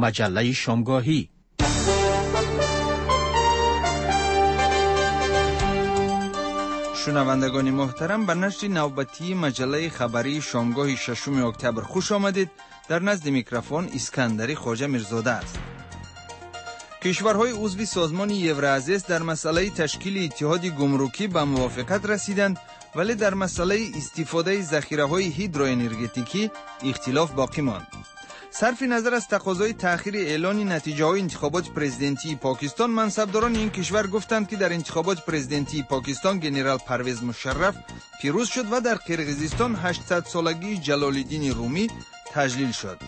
Маҷаллаи шомгоҳӣ. Шунавандагони муҳтарам, ба нашри навбатии маҷаллаи хабарии шомгоҳи 6 октябр хуш омадед. Дар назди микрофон Искандари Хоҷа Мирзода аст. Кишварҳои узви созмони Евроазиес дар масъалаи ташкили иттиҳоди гумрукӣ ба мувофиқат расиданд, вале дар масъалаи истифодаи захираҳои ҳидроэнергетикӣ ихтилоф боқӣ монд. Сарфи назар аз тақозои таъхири эълони натиҷаҳои интихоботи президентии Покистон, мансабдорони ин кишвар гуфтанд, ки дар интихоботи президентии Покистон генерал Парвез Мушарраф пирӯз шуд ва дар Қирғизистон 800-солагии Ҷалолиддини Румӣ таҷлил шуд.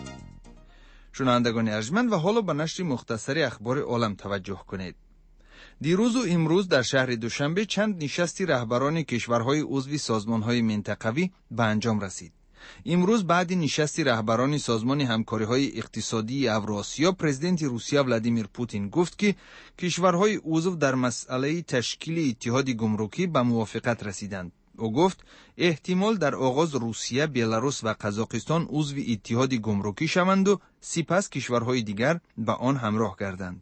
Шунавандагони арҷманд, ва ҳоло ба нашри мухтасари ахбори олам таваҷҷӯҳ кунед. Дирӯзу имрӯз дар шаҳри Душанбе чанд нишасти раҳбарони кишварҳои узви созмонҳои минтақавӣ ба анҷом расид. Имрӯз баъди нишасти раҳбарони созмони ҳамкориҳои иқтисодии Авроосиё, президенти Русия Владимир Путин гуфт, ки кишварҳои узв дар масъалаи ташкили иттиҳоди гумрукӣ ба мувофиқат расиданд. Ӯ гуфт, эҳтимол дар оғоз Русия, Беларус ва Қазоқистон узви иттиҳоди гумрукӣ шаванду сипас кишварҳои дигар ба он ҳамроҳ гарданд.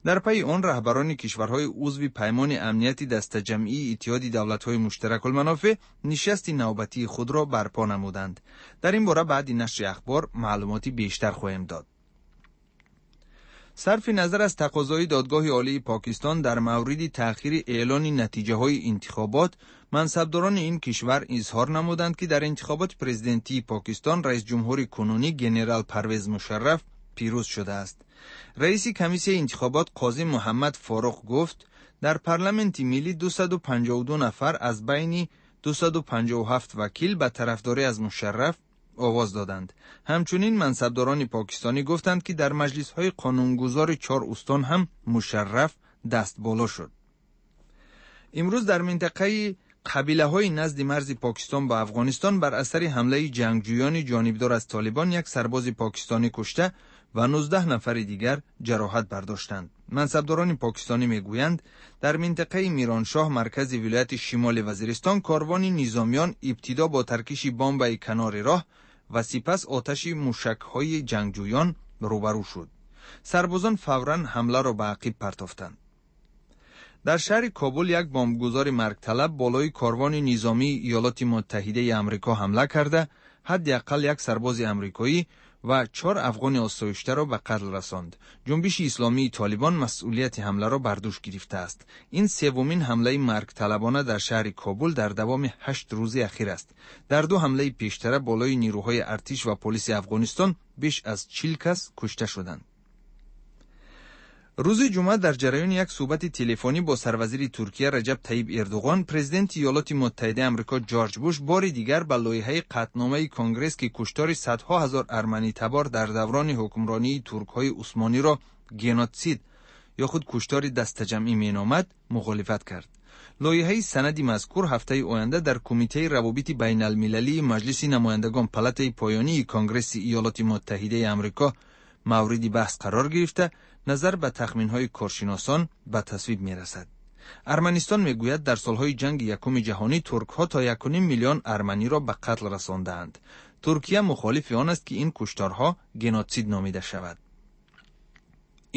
Дар пайи он раҳбарони кишварҳои узви Паймони амнияти дастаҷамъии Иттиҳоди давлатҳои муштаракулманофеъ нишасти навбатии худро барпо намуданд. Дар ин бора баъди нашри ахбор маълумоти бештар хоҳем дод. Сарфи назар аз тақозои додгоҳи олии Покистон дар мавриди таъхири эълони натиҷаҳои интихобот, мансабдорони ин кишвар изҳор намуданд, ки дар интихоботи президентии Покистон раисҷумҳури кунунӣ генерал Парвез Мушарраф пирӯз шудааст. Раиси комиссияи интихобот Қозӣ Муҳаммад Форуқ гуфт, дар парламенти миллӣ 252 нафар аз байни 257 вакил ба тарафдорӣ аз Мушарраф овоз доданд. Ҳамчунин мансабдорони покистонӣ гуфтанд, ки дар маҷлисҳои қонунгузори чор устон ҳам Мушарраф дастболо шуд. Имрӯз дар минтақаи қабилаҳои назди марзи Покистон ба Афғонистон бар асари ҳамлаи ҷангҷӯёни ҷонибдор аз Толибон як сарбози покистонӣ кушта ва 19 нафари дигар ҷароҳат бардоштанд. Мансабдорони покистонӣ мегӯянд, дар минтақаи Мироншоҳ, маркази вилояти Шимоли Вазиристон, корвони низомиён ибтидо бо таркиши бомбаи канори роҳ ва сипас оташи мушакҳои ҷангҷӯён рӯбарӯ шуд. Сарбозон фавран ҳамларо ба ақиб партофтанд. Дар шаҳри Кобул як бомбгузори маргталаб болои корвони низомии Иёлоти Муттаҳидаи Амрико ҳамла карда, ҳадди ақал як сарбози амрикоӣ ва чор афғони осоиштаро ба қатл расонд. Ҷунбиши исломии Толибон масъулияти ҳамларо бар дӯш гирифтааст. Ин севумин ҳамлаи маргталабона дар шаҳри Кобул дар давоми 8 рӯзи ахир аст. Дар ду ҳамлаи пештара болои нирӯҳои артиш ва полиси Афғонистон беш аз 40 кас кушта шуданд. Рӯзи ҷумъа дар ҷараёни як суҳбати телефонӣ бо сарвазири Туркия Раҷаб Таиб Эрдуғон, президенти Иёлоти Муттаҳидаи Амрико Ҷорҷ Буш бори дигар ба лоиҳаи қатъномаи Конгресс, ки куштори садҳо ҳазор арманитабор дар даврони ҳукмронии туркҳои усмониро геноцид ё худ куштори дастаҷамъӣ меномад, мухолифат кард. Лоиҳаи санади мазкур ҳафтаи оянда дар Кумитаи равобити байналмилалии Маҷлиси намояндагон, палатаи поёнии Конгресси Иёлоти Муттаҳидаи Амрико, мавриди баҳс қарор гирифта, назар ба тахминҳои коршиносон ба тасвиб мерасад. Арманистон мегӯяд, дар солҳои ҷанги якуми ҷаҳонӣ туркҳо то 1,5 миллион арманиро ба қатл расондаанд. Туркия мухолифи он аст, ки ин кушторҳо геноцид номида шавад.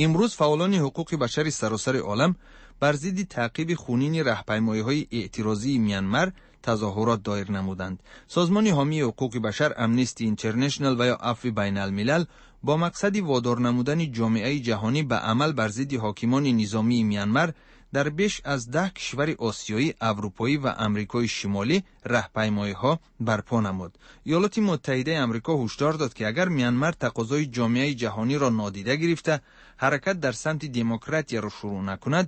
Имрӯз фаъолони ҳуқуқи башари саросари олам бар зидди таъқиби хунини раҳпаймоиҳои эътирозии Мянмар тазоҳурот доир намуданд. Созмони ҳомии ҳуқуқи башар Амнести Интернешнл ва ё Афви байналмилал бо мақсади водор намудани ҷомеаи ҷаҳонӣ ба амал бар зидди ҳокимони низомии Мянмар дар беш аз 10 кишвари осиёӣ, аврупоӣ ва Амрикои Шимолӣ раҳпаймоиҳо барпо намуд. Иёлоти Муттаҳидаи Амрико ҳушдор дод, ки агар Мянмар тақозои ҷомеаи ҷаҳониро нодида гирифта, ҳаракат дар самти демократияро шурӯъ накунад,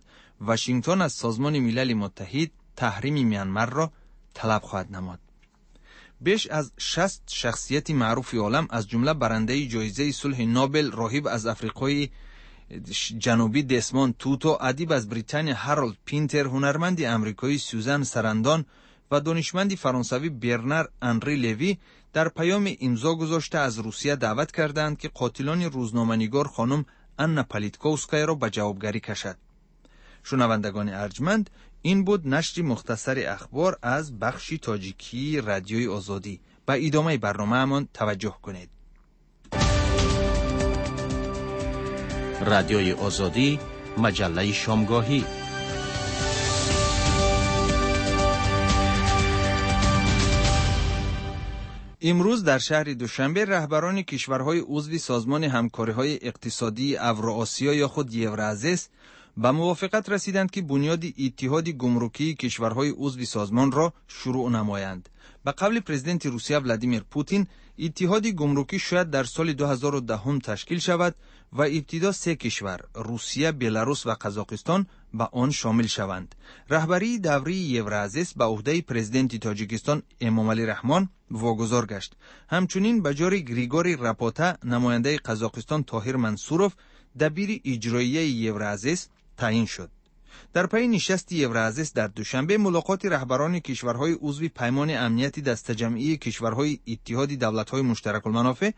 Вашингтон аз Созмони Милали Муттаҳид таҳрими Мянмарро талаб хоҳад намуд. Беш аз 60 шахсияти маъруфи олам, аз ҷумла барандаи ҷоизаи сулҳи Нобел, роҳиб аз Африқои Ҷанубӣ Десмонд Туту, адиб аз Британия Ҳаролд Пинтер, ҳунарманди амрикоӣ Сюзан Сарандон ва донишманди фаронсавӣ Бернар Анри Леви дар паёми имзо гузошта аз Русия даъват кардаанд, ки қотилони рӯзноманигор хонум Анна Политковскаяро ба ҷавобгарӣ кашад. Шунавандагони арҷманд, ин буд нашри мухтасари ахбор аз бахши тоҷикии Радиои Озодӣ. Ба идомаи барномаамон таваҷҷӯҳ кунед. Радиои Озодӣ, маҷаллаи шомгоҳӣ. Имрӯз дар шаҳри Душанбе раҳбарони кишварҳои узви Созмони ҳамкориҳои иқтисодии Авроосиё ё худ Евроазис ба мувофиқат расиданд, ки бунёди иттиҳоди гумрукии кишварҳои узви созмонро шурӯъ намоянд. Ба қавли президенти Русия Владимир Путин, иттиҳоди гумрукӣ шояд дар соли 2010 ташкил шавад ва ибтидо се кишвар Русия, Беларус ва Қазоқистон ба он шомил шаванд. Раҳбарии даврии Евроазис ба уҳдаи президенти Тоҷикистон Эмомалӣ Раҳмон вогузор гашт. Ҳамчунин ба ҷори Григорий Рапота намояндаи Қазоқистон Тоҳир Мансуров дабири иҷроияи Евроазис таъин шуд. Дар пайи нишасти Евроазис дар Душанбе мулоқоти раҳбарони кишварҳои узви Паймони амнияти дастаҷамъии кишварҳои Иттиҳоди давлатҳои муштаракулманофеъ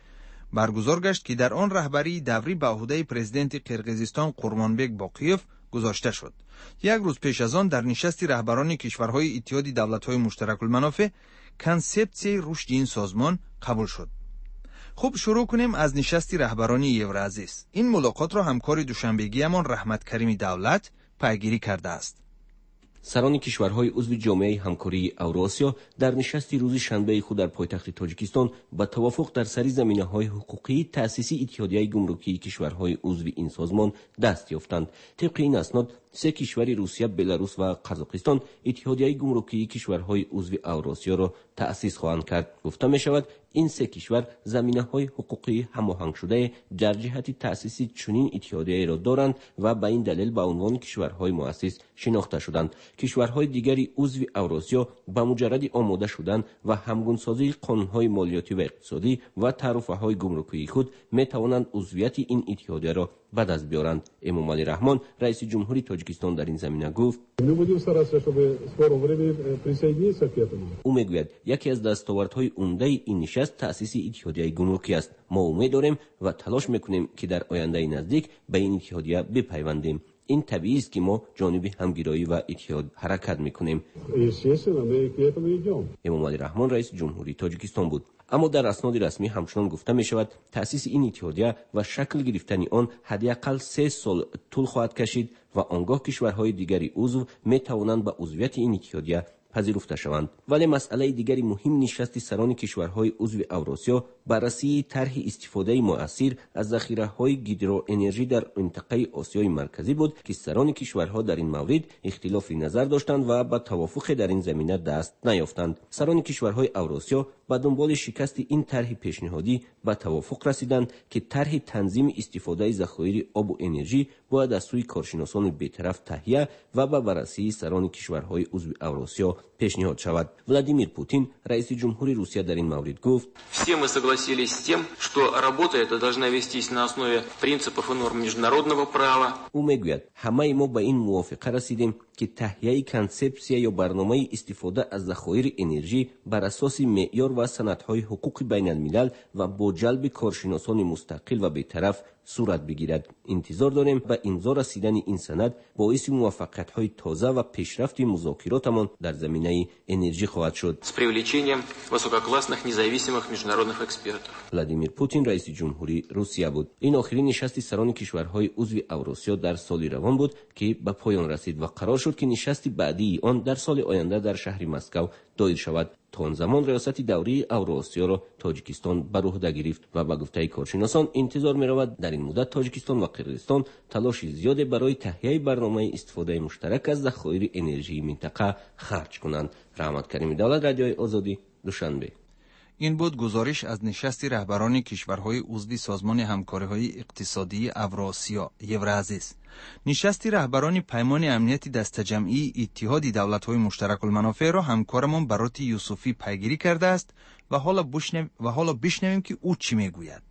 баргузор гашт, ки дар он раҳбарии даврӣ ба уҳдаи президенти Қирғизистон Қурмонбек Боқиев гузошта шуд. Як рӯз пеш аз он дар нишасти раҳбарони кишварҳои Иттиҳоди давлатҳои муштаракулманофеъ консепсияи рушди ин созмон қабул шуд. Хуб, шурӯъ кунем аз нишасти раҳбарони Евроазис. Ин мулоқотро ҳамкори душанбегиямон Раҳматкарими Давлат пайгирӣ кардааст. Сарони кишварҳои узви ҷомеаи ҳамкории Авроосиё дар нишасти рӯзи шанбеи худ дар пойтахти Тоҷикистон ба тавофуқ дар сари заминаҳои ҳуқуқии таъсиси иттиҳодияи гумрукии кишварҳои узви ин созмон даст ёфтанд. Тибқи ин аснод, се кишвари Русия, Беларус ва Қазоқистон иттиҳодияи гумрукии кишварҳои узви Авроосиёро таъсис хоҳанд кард. Гуфта мешавад, ин се кишвар заминаҳои ҳуқуқии ҳамоҳангшудае дар ҷиҳати таъсиси чунин иттиҳодияеро доранд ва ба ин далел ба унвони кишварҳои муассис шинохта шуданд. Кишварҳои дигари узви Авроосиё ба муҷарради омода шудан ва ҳамгунсозии қонунҳои молиётӣ ва иқтисодӣ ва таъруфаҳои гумрукии худ метавонанд узвияти ин иттиҳодияро ба даст биёранд. Эмомалӣ Раҳмон, раиси ҷумҳури Тоҷикистон, дар ин замина гуфт: ӯ мегӯяд, яке аз дастовардҳои умдаи ин нишаст таъсиси иттиҳодияи гумрукӣ аст. Мо умед дорем ва талош мекунем, ки дар ояндаи наздик ба ин иттиҳодия бипайвандем. Ин табиист, ки мо ҷониби ҳамгироӣ ва иттиҳод ҳаракат мекунем. Эмомалӣ Раҳмон раиси ҷумҳурии Тоҷикистон буд. Аммо дар асноди расмӣ ҳамчунон гуфта мешавад, таъсиси ин иттиҳодия ва шакл гирифтани он ҳадди ақал 3 сол тӯл хоҳад кашид ва он гоҳ кишварҳои дигари узв метавонанд ба узвияти ин иттиҳодия пазируфта шаванд. Вале масъалаи дигари муҳим нишасти сарони кишварҳои узви Авроосиё баррасии тарҳи истифодаи муассир аз захираҳои гидроэнержӣ дар минтақаи Осиёи Марказӣ буд, ки сарони кишварҳо дар ин маврид ихтилофи назар доштанд ва ба тавофуқе дар ин замина даст наёфтанд. Сарони кишварҳои Авроосиё ба дунболи шикасти ин тарҳи пешниҳодӣ ба тавофуқ расиданд, ки тарҳи танзими истифодаи захоири обу энержӣ бояд аз сӯи коршиносони бетараф таҳия ва ба баррасии сарони кишварҳои узви Авроосиё пешниҳод шавад. Владимир Путин, раиси ҷумҳури Русия, дар ин маврид гуфт: Все мы согласились с тем, что работа эта должна вестись на основе принципов и норм международного права. Ӯ мегӯяд, ҳамаи мо ба ин мувофиқа расидем, ки таҳияи консепсия ё барномаи истифода аз захоири энержӣ бар асоси меъёр ва санадҳои ҳуқуқи байналмилал ва бо ҷалби коршиносони мустақил ва бетараф сурат бигирад. Интизор дорем ба имзо расидани ин санад боиси муваффақиятҳои тоза ва пешрафти музокиротамон дар заминаи энержӣ хоҳад шуд. С привлечением высококлассных независимых международных экспертов. Владимир Путин, раиси ҷумҳури Русия буд. Ин охирин нишасти сарони кишварҳои узви Авроосиё дар соли равон буд, ки ба поён расид ва қарор шуд, ки нишасти баъдии он дар соли оянда дар шаҳри Москав доир шавад. То он замон риёсати даврии Авроосиёро Тоҷикистон бар уҳда гирифт ва ба гуфтаи коршиносон интизор меравад дар ин муддат Тоҷикистон ва Қирғизистон талоши зиёде барои таҳияи барномаи истифодаи муштарак аз захоири энержии минтақа харҷ кунанд. Раҳматкарими Давлат, Радиои Озодӣ, Душанбе. Ин буд гузориш аз нишасти раҳбарони кишварҳои узви Созмони ҳамкориҳои иқтисодии Авроосиё Евроазис. Нишасти раҳбарони Паймони амнияти дастаҷамъии Иттиҳоди давлатҳои муштаракулманофеъро ҳамкорамон Бароти Юсуфӣ пайгирӣ кардааст ва ҳоло бишнавем, ки ӯ чӣ мегӯяд.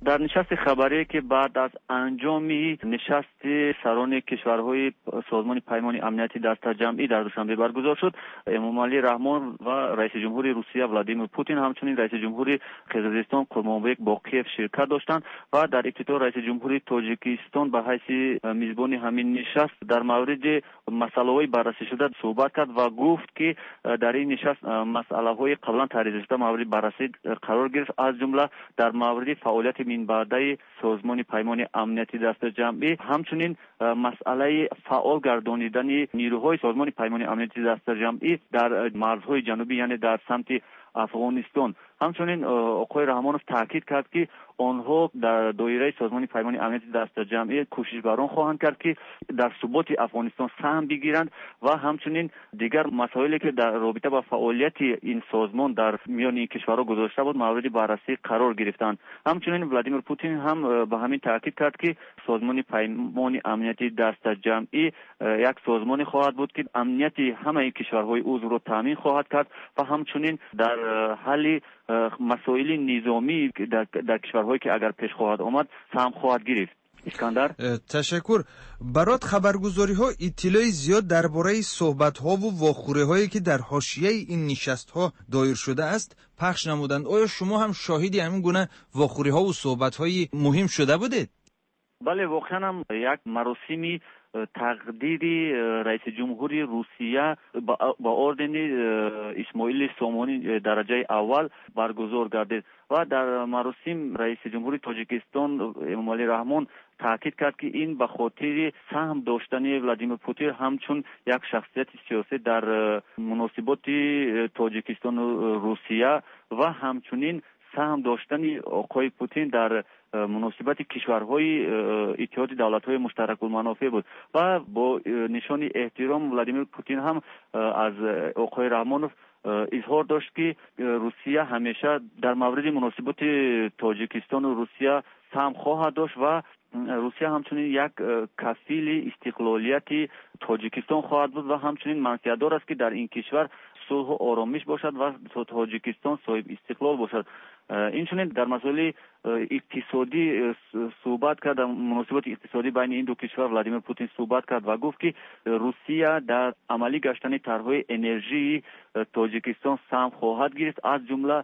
Дар нишасти хабарие, ки баъд аз анҷоми нишасти сарони кишварҳои Созмони Паймони амнияти дастаҷамъӣ дар Душанбе баргузор шуд, Эмомалӣ Раҳмон ва раиси ҷумҳури Русия Владимир Путин, ҳамчунин раиси ҷумҳури Қирғизистон Қурмонбек Боқиев ширкат доштанд ва дар ибтидо раиси ҷумҳури Тоҷикистон ба ҳайси мизбони ҳамин нишаст дар мавриди масъалаҳои баррасӣшуда суҳбат кард ва гуфт, ки дар ин нишаст масъалаҳои қаблан таҳриршуда мавриди баррасӣ қарор гирифт, аз ҷумла дар мавриди фаъолияти минбаъдаи Созмони Паймони Амнияти Дастаҷамъӣ, ҳамчунин масъалаи фаъол гардонидани нирӯҳои Созмони Паймони Амнияти Дастаҷамъӣ дар марзҳои ҷанубӣ, яъне дар самти Афғонистон. Ҳамчунин оқои Раҳмонов таъкид кард, ки онҳо дар доираи Созмони Паймони Амнияти Дастаҷамъӣ кӯшиш бар он хоҳанд кард, ки дар суботи Афғонистон саҳм бигиранд ва ҳамчунин дигар масоиле, ки дар робита ба фаъолияти ин созмон дар миёни ин кишварҳо гузошта буд, мавриди баррасӣ қарор гирифтанд. Ҳамчунин Владимир Путин ҳам ба ҳамин таъкид кард, ки Созмони Паймони Амнияти Дастаҷамъӣ як созмоне хоҳад буд, ки амнияти ҳамаи кишварҳои узвро таъмин хоҳад кард ва ҳамчунин дар ҳалли масоили низомӣ дар кишварҳое, ки агар пеш хоҳад омад, саҳм хоҳад гирифт. Искандар. Ташаккур. Барот, хабаргузориҳо иттилои зиёд дар бораи суҳбатҳову вохӯриҳое, ки дар ҳошияи ин нишастҳо доир шудааст, пахш намуданд. Оё шумо ҳам шоҳиди ҳамин гуна вохӯриҳову суҳбатҳои муҳим шуда будед? Бале, воқеан ҳам як маросими тақдири раиси ҷумҳури Русия ба ордени Исмоили Сомонӣ дараҷаи аввал баргузор гардид ва дар маросим раиси ҷумҳури Тоҷикистон Эмомалӣ Раҳмон таъкид кард, ки ин ба хотири саҳм доштани Владимир Путин ҳамчун як шахсияти сиёсӣ дар муносиботи Тоҷикистону Русия ва ҳамчунин саҳм доштани оқои Путин дар муносибати кишварҳои Иттиҳоди Давлатҳои Муштаракулманофеъ буд ва бо нишони эҳтиром Владимир Путин ҳам аз оқои Раҳмонов изҳор дошт, ки Русия ҳамеша дар мавриди муносиботи Тоҷикистону Русия саҳм хоҳад дошт ва Русия ҳамчунин як кафили истиқлолияти Тоҷикистон хоҳад буд ва ҳамчунин манфиатдор аст, ки дар ин кишвар сулҳу оромиш бошад ва Тоҷикистон соҳиб истиқлол бошад. Инчунин дар масоили иқтисодӣ суҳбат кард. Дар муносиботи иқтисодӣ байни ин ду кишвар Владимир Путин суҳбат кард ва гуфт, ки Русия дар амалӣ гаштани тарҳҳои энержии Тоҷикистон саҳм хоҳад гирифт. Аз ҷумла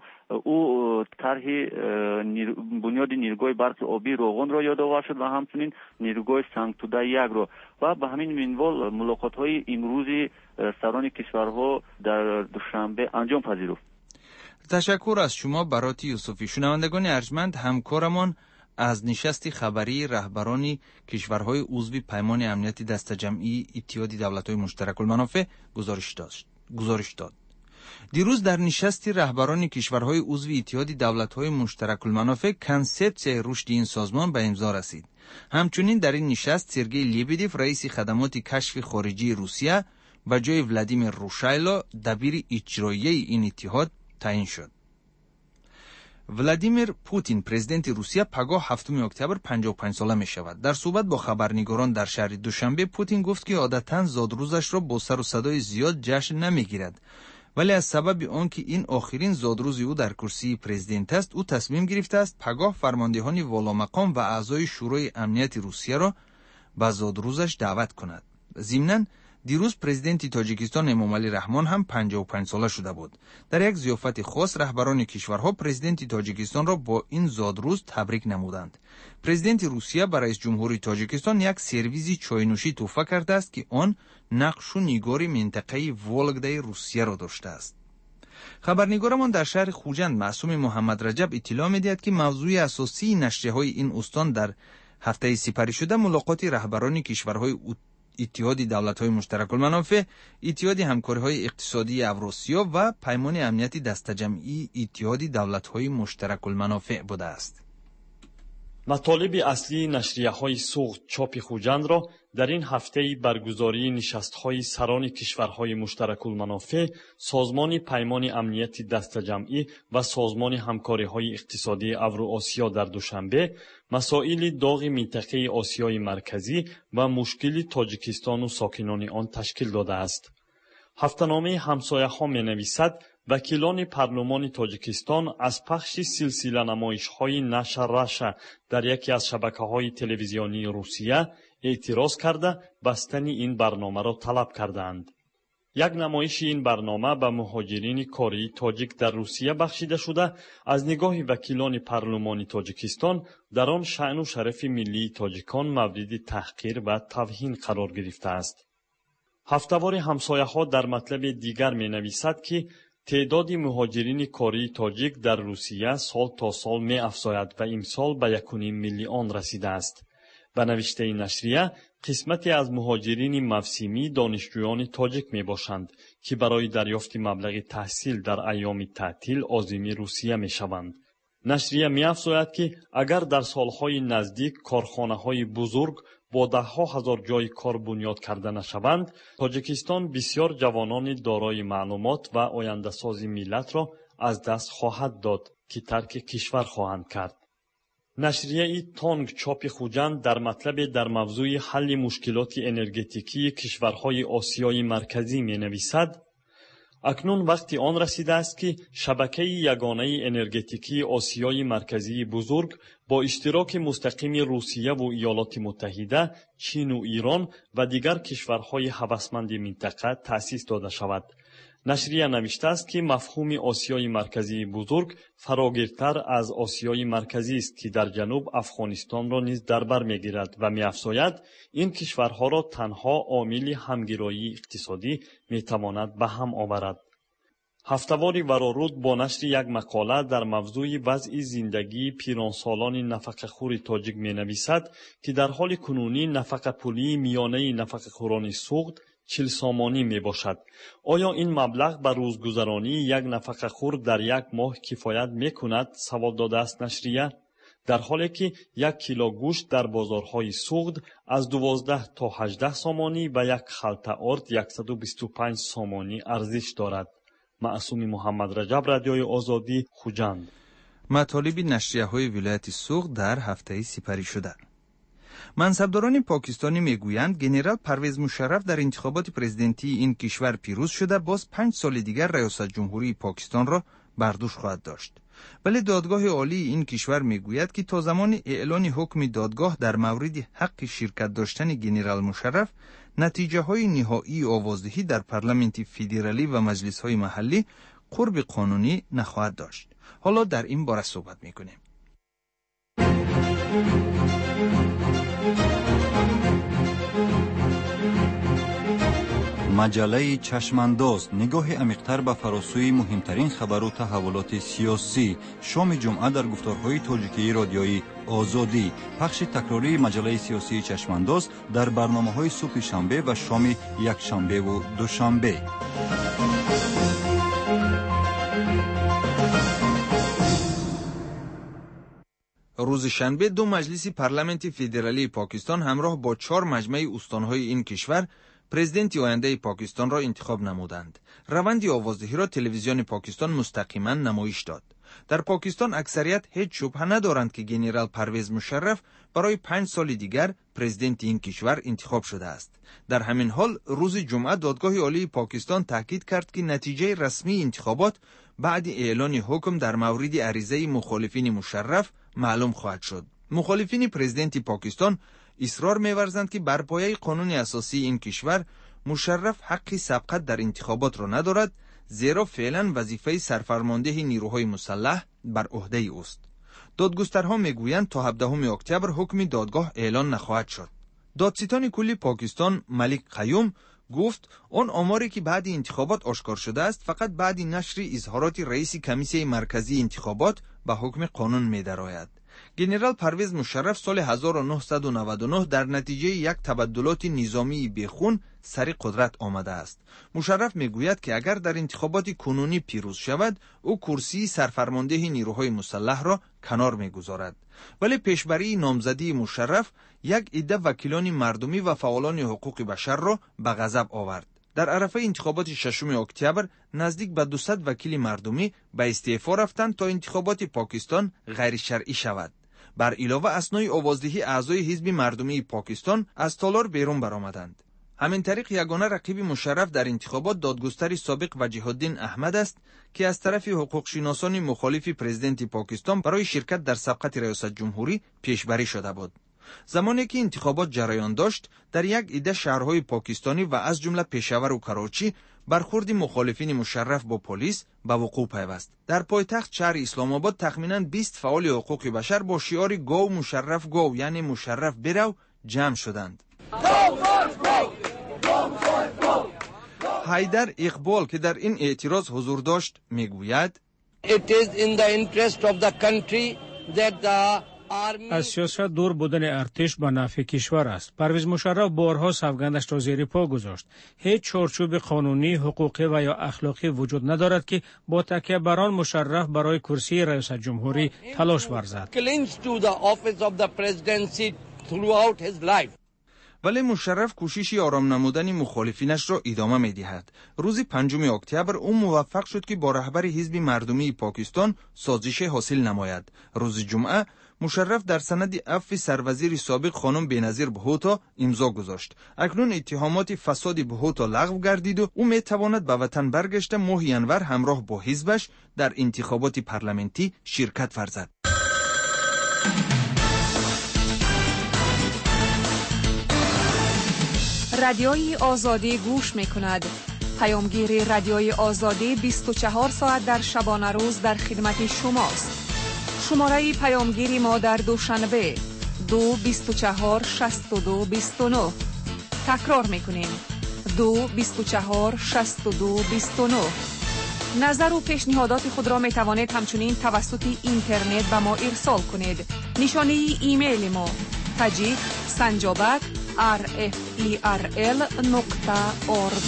ӯ тарҳи бунёди нирӯгоҳи барқи обии Роғонро ёдовар шуд ва ҳамчунин нирӯгоҳи Сангтуда 1-ро. Ва ба ҳамин минвол мулоқотҳои имрӯзи сарони кишварҳо дар Душанбе анҷом пазируфт. Ташаккур аз шумо, Бароти Юсуфӣ. Шунавандагони арҷманд, ҳамкорамон аз нишасти хабарии раҳбарони кишварҳои узви Паймони Амнияти Дастаҷамъии Иттиҳоди Давлатҳои Муштаракулманофеъ гузориш дод. Дирӯз дар нишасти раҳбарони кишварҳои узви Иттиҳоди Давлатҳои Муштаракулманофеъ консепсияи рушди ин созмон ба имзо расид. Ҳамчунин дар ин нишаст Сергей Лебедев, раиси хадамоти кашфи хориҷии Русия, ба ҷои Владимир Рушайло дабири иҷроияи ин иттиҳод таъин шуд. Владимир Путин, президенти Русия, пагоҳ 7 октябр 55 сола мешавад. Дар суҳбат бо хабарнигорон дар шаҳри Душанбе Путин гуфт, ки одатан зодрӯзашро бо сару садои зиёд ҷашн намегирад, вале аз сабаби он ки ин охирин зодрӯзи ӯ дар курсии президент аст, ӯ тасмим гирифтааст пагоҳ фармондеҳони воломақом ва аъзои Шӯрои Амнияти Русияро ба зодрӯзаш даъват кунад. Зимнан, дирӯз президенти Тоҷикистон Эмомалӣ Раҳмон ҳам 55 сола шуда буд. Дар як зиёфати хос раҳбарони кишварҳо президенти Тоҷикистонро бо ин зодрӯз табрик намуданд. Президенти Русия ба раисҷумҳури Тоҷикистон як сервизи чойнӯшӣ тӯҳфа кардааст, ки он нақшу нигори минтақаи Вологдаи Русияро доштааст. Хабарнигорамон дар шаҳри Хуҷанд Маъсуми Муҳаммадраҷаб иттилоъ медиҳад, ки мавзӯи асосии нашрияҳои ин устон дар ҳафтаи сипаришуда мулоқоти раҳбарони кишварҳои Иттиҳоди Давлатҳои Муштаракулманофеъ, Иттиҳоди Ҳамкориҳои Иқтисодии Авросиё ва Паймони Амнияти Дастаҷамъии Иттиҳоди Давлатҳои Муштаракулманофеъ будааст. Матолиби аслии нашрияҳои Суғд чопи Хуҷандро дар ин ҳафтаи баргузории нишастҳои сарони кишварҳои муштаракулманофеъ, Созмони Паймони Амнияти Дастаҷамъӣ ва Созмони Ҳамкориҳои Иқтисодии Авруосиё дар Душанбе, масоили доғи минтақаи Осиёи Марказӣ ва мушкили Тоҷикистону сокинони он ташкил додааст. Ҳафтаномаи ҳамсояҳо менависад: вакилони парлумони Тоҷикистон аз пахши силсиланамоишҳои «Наша Раша» дар яке аз шабакаҳои телевизионии Русия эътироз карда, бастани ин барномаро талаб кардаанд. Як намоиши ин барнома ба муҳоҷирини кории тоҷик дар Русия бахшида шуда, аз нигоҳи вакилони парлумони Тоҷикистон дар он шаъну шарафи миллии тоҷикон мавриди таҳқир ва тавҳин қарор гирифтааст. Ҳафтавори ҳамсояҳо дар матлаби дигар менависад, ки Теъдоди муҳоҷирини кории тоҷик дар Русия сол то сол меафзояд ва имсол ба 1,5 миллион расидааст. Ба навиштаи нашрия, қисмате аз муҳоҷирини мавсимӣ донишҷӯёни тоҷик мебошанд, ки барои дарёфти маблағи таҳсил дар айёми таътил озими Русия мешаванд. Нашрия меафзояд, ки агар дар солҳои наздик корхонаҳои бузург бо даҳҳо ҳазор ҷойи кор бунёд карда нашаванд, Тоҷикистон бисёр ҷавонони дорои маълумот ва ояндасози миллатро аз даст хоҳад дод, ки тарки кишвар хоҳанд кард. Нашрияи Тонг чопи Хуҷанд дар матлабе дар мавзӯи ҳалли мушкилоти энергетикии кишварҳои Осиёи Марказӣ менависад: акнун вақти он расидааст, ки шабакаи ягонаи энергетикии Осиёи Марказии бузург бо иштироки мустақими Русияву Иёлоти Муттаҳида, Чину Ирон ва дигар кишварҳои ҳавасманди минтақа таъсис дода шавад. Нашрия навиштааст, ки мафҳуми Осиёи Марказии бузург фарогиртар аз Осиёи Марказист, ки дар ҷануб Афғонистонро низ дар бар мегирад, ва меафзояд, ин кишварҳоро танҳо омили ҳамгироии иқтисодӣ метавонад ба ҳам оварад. Ҳафтавори Вароруд бо нашри як мақола дар мавзӯи вазъи зиндагии пиронсолони нафақахӯри тоҷик менависад, ки дар ҳоли кунунӣ нафақапулии миёнаи нафақахӯрони Суғд 40 сомонӣ мебошад. Оё ин маблағ ба рӯзгузаронии як нафақахӯр дар як моҳ кифоят мекунад? Савол додааст нашрия. Дар ҳоле ки 1 кило гӯшт дар бозорҳои Суғд аз 12 то 18 сомонӣ ва як халта орд 125 сомонӣ арзиш дорад. Маъсуми Муҳаммадраҷаб, Радиои Озодӣ, Хуҷанд. Матолиби нашрияҳои вилояти Суғд дар ҳафтаи сипаришуда. Мансабдорони покистонӣ мегӯянд, генерал Парвез Мушарраф дар интихоботи президентии ин кишвар пирӯз шуда, боз 5 соли дигар раёсатҷумҳурии Покистонро бар дӯш хоҳад дошт. Вале додгоҳи олии ин кишвар мегӯяд, ки то замони эълони ҳукми додгоҳ дар мавриди ҳаққи ширкат доштани генерал Мушарраф, натиҷаҳои ниҳоии овоздиҳӣ дар парламенти федералӣ ва маҷлисҳои маҳаллӣ қурби қонунӣ нахоҳад дошт. Ҳоло дар ин бора суҳбат мекунем. Маҷаллаи Чашмандоз, нигоҳи амиқтар ба фаросӯи муҳимтарин хабару таҳаввулоти сиёсӣ. Шоми ҷумъа дар гуфторҳои тоҷикии Радиои Озодӣ. Пахши такрории маҷаллаи сиёсии Чашмандоз дар барномаҳои субҳи шанбе ва шоми якшанбеву душанбе. Рӯзи шанбе ду маҷлиси парламенти федералии Покистон ҳамроҳ бо 4 маҷмаи устонҳои ин кишвар президенти ояндаи Покистонро интихоб намуданд. Раванди овоздиҳиро телевизиони Покистон мустақиман намоиш дод. Дар Покистон аксарият ҳеҷ шубҳа надоранд, ки генерал Парвез Мушарраф барои 5 соли дигар президенти ин кишвар интихоб шудааст. Дар ҳамин ҳол рӯзи ҷумъа додгоҳи олии Покистон таъкид кард, ки натиҷаи расмии интихобот баъди эълони ҳукм дар мавриди аризаи мухолифини Мушарраф маълум хоҳад шуд. Мухолифини президенти Покистон исрор меварзанд, ки бар пояи қонуни асосии ин кишвар Мушарраф ҳаққи сабқат дар интихоботро надорад, зеро феълан вазифаи сарфармондеҳи нирӯҳои мусаллаҳ бар ӯҳдаи ӯст. Додгустарҳо мегӯянд, то 17 октябр ҳукми додгоҳ эълон нахоҳад шуд. Додситони кулли Покистон Малик Қаюм гуфт, он оморе ки баъди интихобот ошкор шудааст, фақат баъди нашри изҳороти раиси комиссияи марказии интихобот ба ҳукми қонун медарояд. Генерал Парвез Мушарраф соли 1999 дар натиҷаи як табаддулоти низомии бехун сари қудрат омадааст. Мушарраф мегӯяд, ки агар дар интихоботи кунунӣ пирӯз шавад, ӯ курсии сарфармондеҳи нирӯҳои мусаллаҳро канор мегузорад. Вале пешбарии номзадии Мушарраф як идда вакилони мардумӣ ва фаъолони ҳуқуқи башарро ба ғазаб овард. Дар арафаи интихоботи 6 октябр наздик ба 200 вакили мардумӣ ба истеъфо рафтанд, то интихоботи Покистон ғайришаръӣ шавад. Бар илова, аснои овоздиҳӣ аъзои ҳизби мардумии Покистон аз толор берун баромаданд. Ҳамин тариқ ягона рақиби Мушарраф дар интихобот додгустари собиқ Ваҷиҳуддин Аҳмад аст, ки аз тарафи ҳуқуқшиносони мухолифи президенти Покистон барои ширкат дар сабқати раёсатҷумҳурӣ пешбарӣ шуда буд. Замоне ки интихобот ҷараён дошт, дар як идда шаҳрҳои покистонӣ ва аз ҷумла Пешавару Карочӣ бархурди мухолифини Мушарраф бо полис ба вуқӯъ пайваст. Дар пойтахт шаҳри Исломобод тахминан 20 фаъоли ҳуқуқи башар бо шиори «Гов Мушарраф гов», яъне Мушарраф бирав, ҷамъ шуданд. Ҳайдар Иқбол, ки дар ин эътироз ҳузур дошт, мегӯяд: It is in the interest of the country that the Аз сиёсат дур будани артиш ба нафъи кишвар аст. Парвиз Мушарраф борҳо савгандашро зери по гузошт. Ҳеҷ чорчӯби қонунӣ, ҳуқуқӣ ва ё ахлоқӣ вуҷуд надорад, ки бо такя бар он Мушарраф барои курсии раёсатҷумҳурӣ талош варзад. Clings to the office of the presidency throughout his life. Вале Мушарраф кӯшиши ором намудани мухолифинашро идома медиҳад. Рӯзи 5 октябр ӯ муваффақ шуд, ки бо раҳбари Ҳизби Мардумии Покистон созише ҳосил намояд. Рӯзи ҷумъа Мушарраф дар санади афви сарвазири собиқ хонум Беназир Бҳуто имзо гузошт. Акнун иттиҳомоти фасоди Бҳуто лағв гардиду ӯ метавонад ба ватан баргашта, моҳи январ ҳамроҳ бо ҳизбаш дар интихоботи парламентӣ ширкат варзад. Радиои Озодӣ гӯш мекунад. Паёмгири Радиои Озодӣ 24 соат дар шабонарӯз дар хидмати шумост. Шумораи паёмгири мо дар Душанбе 2 24 62 29. Такрор мекунем: 2 24 62 29. Назару пешниҳодоти худро метавонед ҳамчунин тавассути интернет ба мо ирсол кунед. Нишонии имейли мо: tajik@rferl.org.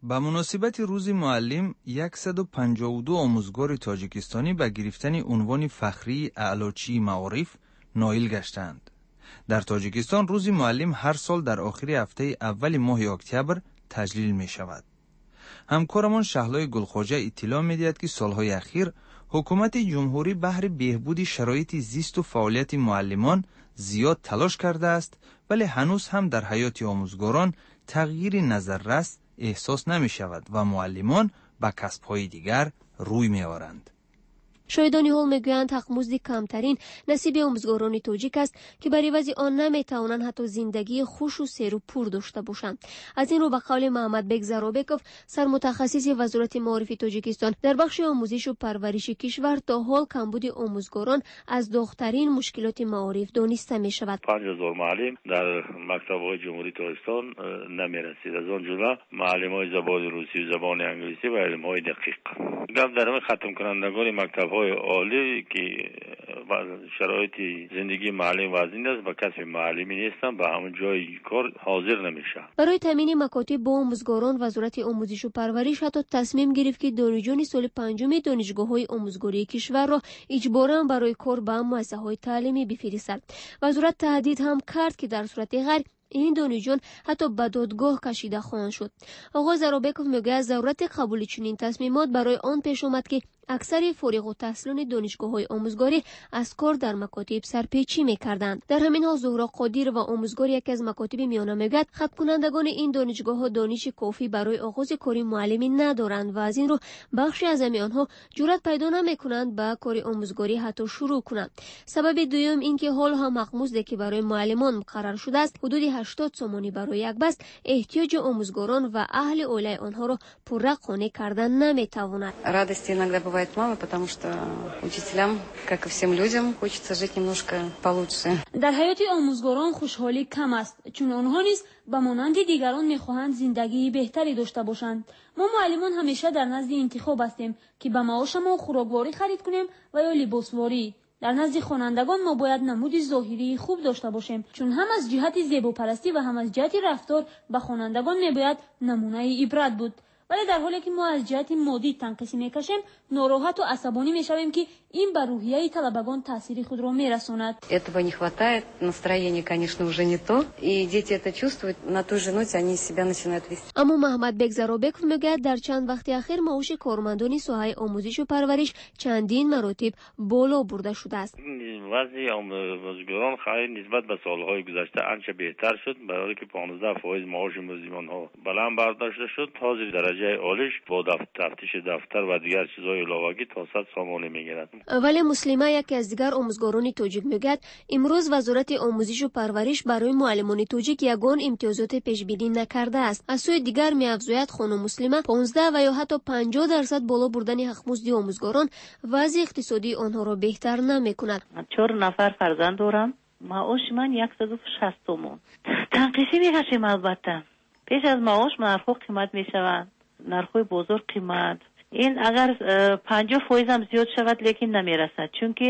Ба муносибати Рӯзи муаллим 152 омӯзгори тоҷикистонӣ ба гирифтани унвони фахрии Аълочии маориф ноил гаштаанд. Дар Тоҷикистон Рӯзи муаллим ҳар сол дар охири ҳафтаи аввали моҳи октябр таҷлил мешавад. Ҳамкорамон Шаҳлои Гулхоҷа иттилоъ медиҳад, ки солҳои ахир ҳукумати ҷумҳурӣ баҳри беҳбуди шароити зисту фаъолияти муаллимон зиёд талош кардааст, вале ҳанӯз ҳам дар ҳаёти омӯзгорон тағйири назаррас эҳсос намешавад ва муаллимон ба касбҳои дигар рӯй меоранд. Шоҳидони ҳол мегӯянд, ҳақмузди камтарин насиби омӯзгорони тоҷик аст, ки бар ивази он наметавонанд ҳатто зиндагии хушу серу пур дошта бошанд. Аз ин рӯ, ба қавли Маҳаммадбек Заробеков, сармутахассиси Вазорати маорифи Тоҷикистон, дар бахши омӯзишу парвариши кишвар то ҳол камбуди омӯзгорон аз доғтарин мушкилоти маориф дониста мешавад. 5000 муаллим дар мактабҳои Ҷумҳурии Тоҷикистон намерасид, аз он ҷумла муаллимҳои забони русӣ, забони англисӣ ва илмҳои дақиқ. Гап дар хатмкунандагони мактабҳои олӣ, ки шароити зиндагии муаллим вазнин аст, ба касби муаллимӣ нестанд, ба ҳамон ҷои кор ҳозир намешаванд. Барои таъмини макотиб бо омӯзгорон Вазорати омӯзишу парвариш ҳатто тасмим гирифт, ки донишҷӯёни соли панҷуми донишгоҳҳои омӯзгории кишварро иҷборан барои кор ба муассисаҳои таълимӣ бифиристад. Вазорат таҳдид ҳам кард, ки дар сурати ғайр ин донишҷӯён ҳатто ба додгоҳ кашида хоҳанд шуд. Оғоз Заробеков мегӯяд, зарурати қабули чунин тасмимот барои он пеш омад, ки аксари фориғутаҳсилони донишгоҳҳои омӯзгорӣ аз кор дар макотиб сарпечӣ мекарданд. Дар ҳамин ҳол Зуҳро Қодирова, омӯзгори яке аз макотиби миёна, мегӯяд, хатмкунандагони ин донишгоҳҳо дониши кофӣ барои оғози кори муаллимӣ надоранд ва аз ин рӯ бахши аъзами онҳо ҷуръат пайдо намекунанд ба кори омӯзгорӣ ҳатто шурӯъ кунанд. Сабаби дуюм ин ки ҳол ҳам ҳақмузде, ки барои муаллимон муқаррар шудааст, ҳудуди 80 сомонӣ барои як баст, эҳтиёҷи омӯзгорон ва аҳли оилаи онҳоро пурра қонеъ кардан наметавонад. Радости иногда бывает мало, потому что учителям, как и всем людям, хочется жить немножко получше. Дар ҳаёти омӯзгорон хушҳолӣ кам аст, чун онҳо низ ба монанди дигарон мехоҳанд зиндагии беҳтаре дошта бошанд. Мо муаллимон ҳамеша дар назди интихоб ҳастем, ки ба маошамон хӯрокворӣ харид кунем ва ё либосворӣ. Дар назди хонандагон мо бояд намуди зоҳирии хуб дошта бошем, чун ҳам аз ҷиҳати зебопарастӣ ва ҳам аз ҷиҳати рафтор ба хонандагон мебояд намунаи ибрат буд. Вале дар ҳоле ки мо аз ҷиҳати моддӣ танқисӣ мекашем, нороҳату асабонӣ мешавем, ки ин ба рӯҳияи талабагон таъсири худро мерасонад. Этого не хватает, настроение, конечно, уже не то, и дети это чувствуют, на той же ноте они себя начинают вести. Аммо Маҳмадбек Заробеков мегӯяд, дар чанд вақти ахир маоши кормандони соҳаи омӯзишу парвариш чандин маротиб боло бурда шудааст. Вазъи омӯзгорон хайр нисбат ба солҳои гузашта анча беҳтар шуд, барои ки 15% маоши мӯзимонҳо баланд бардошта шуд. Ҳозир дараҷаи олиш бо тафтиши дафтар ва дигар чизҳои иловагӣ то 100 сомонӣ мегирад. Вале Муслима, яке аз дигар омӯзгорони тоҷик, мегӯяд, имрӯз Вазорати омӯзишу парвариш барои муаллимони тоҷик ягон имтиёзоте пешбинӣ накардааст. Аз сӯи дигар, меафзояд хонум Муслима, 15 ва ё ҳатто 50% боло бурдани ҳақмузди омӯзгорон вазъи иқтисодии онҳоро беҳтар намекунад. 4 нафар фарзанд дорам. Маоши ман 160 сомон. Танқисӣ мекашем албатта. Пеш аз маош нархҳо қимат мешаванд, нархҳои бозор қимат. Ин агар 50% ҳам зиёд шавад, лекин намерасад, чунки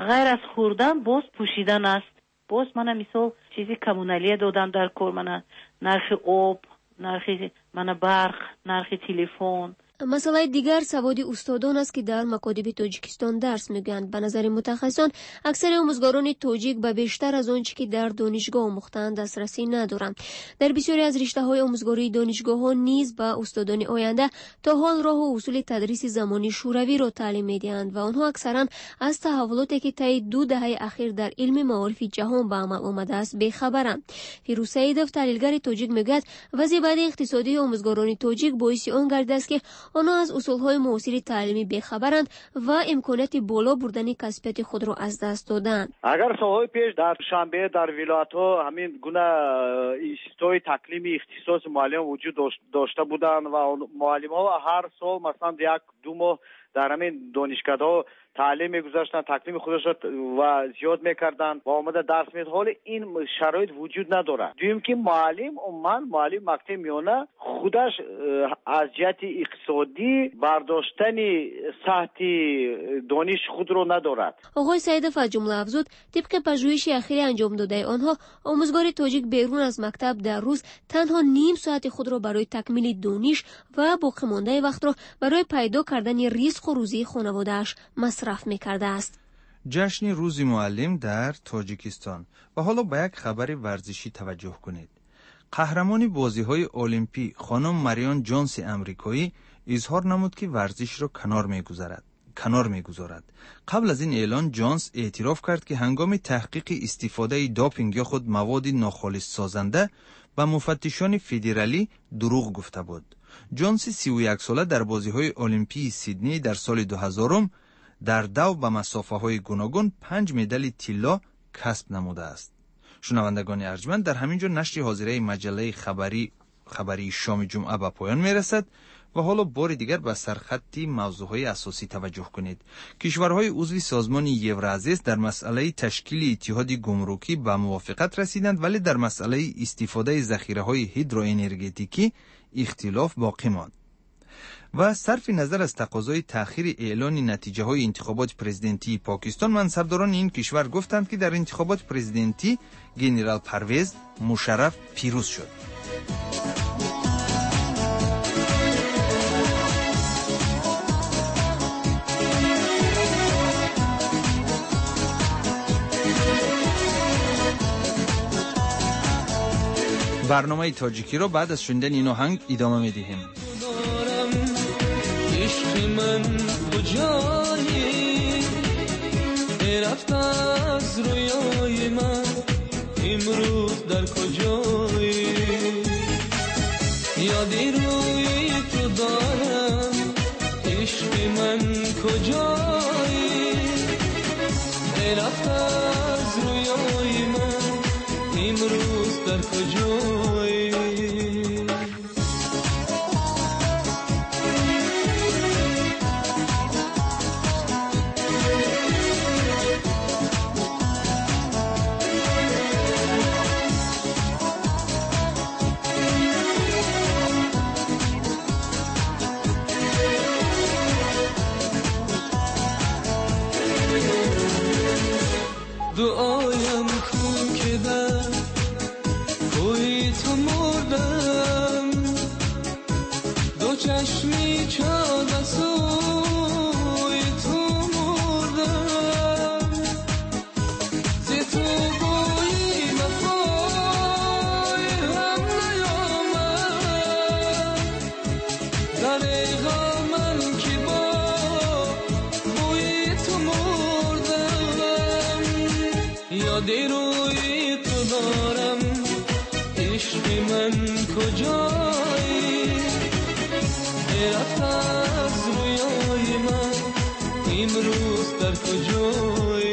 ғайр аз хӯрдан боз пӯшидан аст. Боз мана мисол чизи коммуналия додан дар кор, мана нархи об, нархи мана барқ, нархи телефон. Масъалаи дигар саводи устодон аст, ки дар макотиби Тоҷикистон дарс мегӯянд. Ба назари мутахассисон, аксари омӯзгорони тоҷик ба бештар аз он чӣ ки дар донишгоҳ омӯхтаанд дастрасӣ надоранд. Дар бисёре аз риштаҳои омӯзгории донишгоҳҳо низ ба устодони оянда то ҳол роҳу усули тадриси замони шӯравиро таълим медиҳанд ва онҳо аксаран аз таҳаввулоте, ки таи 2 даҳаи ахир дар илми маорифи ҷаҳон ба амал омадааст, бехабаранд. Фирӯз Саидов, таҳлилгари тоҷик, мегӯяд, вазъи баъди иқтисодии омӯзгорони тоҷик боиси он гардидааст, ки онҳо аз усулҳои муосири таълимӣ бехабаранд ва имконияти боло бурдани касбияти худро аз даст додаанд. Агар солҳои пеш дар Душанбе, дар вилоятҳо ҳамин гуна институтҳои таклими ихтисоси муаллимон вуҷуд дошта буданд ва муаллимҳо ҳар сол масалан 1-2 моҳ дар ҳамин донишкадаҳо таълим мегузаштанд, таклими худашро ва зиёд мекарданд ва омада дарс медод. Ҳоло ин шароит вуҷуд надорад. Дуюм ки муаллим, умуман муаллими мактаби миёна худаш аз ҷиҳати иқтисодӣ бардоштани сатҳи дониши худро надорад. Оғои Саидов аз ҷумла афзуд, тибқи пажӯҳиши ахири анҷомдодаи онҳо, омӯзгори тоҷик берун аз мактаб дар рӯз танҳо ним соати худро барои такмили дониш ва боқимондаи вақтро барои пайдо кардани ризқу рӯзии хонаводааш масраф мекардааст. Ҷашни рӯзи муаллим дар Тоҷикистон. Ва ҳоло ба як хабари варзишӣ таваҷҷӯҳ кунед. Қаҳрамони бозиҳои олимпӣ хонум Марион Ҷонси амрикоӣ изҳор намуд, ки варзишро канор мегузорад. Қабл аз ин эълон Ҷонс эътироф кард, ки ҳангоми таҳқиқи истифодаи допинг ё худ маводи нохолиссозанда ба муфаттишони федералӣ дурӯғ гуфта буд. Ҷонси 31сола дар бозиҳои олимпии Сидней дар соли 2000 дар дав ба масофаҳои гуногун 5 медали тилло касб намудааст. Шунавандагони арҷманд, дар ҳамин ҷо нашри ҳозираи маҷаллаи хабарии шоми ҷумъа ба поён мерасад ва ҳоло бори дигар ба сархатти мавзӯъҳои асосӣ таваҷҷӯҳ кунед. Кишварҳои узви созмони Евроазис дар масъалаи ташкили иттиҳоди гумрукӣ ба мувофиқат расиданд, вале дар масъалаи истифодаи захираҳои ҳидроэнергетикӣ ихтилоф боқӣ монд. Ва сарфи назар аз тақозои таъхири эълони натиҷаҳои интихоботи президентии Покистон, мансабдорони ин кишвар гуфтанд, ки дар интихоботи президентӣ генерал Парвез Мушарраф пирӯз шуд. Барномаи тоҷикиро баъд аз шунидани ин оҳанг идома медиҳем. عشق من کجایی، رفت از رویای من امروز در کجایی، یادی روی تو دارم عشق من کجایی، رفت از رویای من امروز در کجایی. دعایم کن که در کوی تو مردم، دو چشمی چاد سوی تو مردم، ز تو بوی وفای هم نیامد، دریغا من که با بوی تو مردم، یادی روی تو دارم عشق من کجایی، رفت از رویای من امروز در کجایی.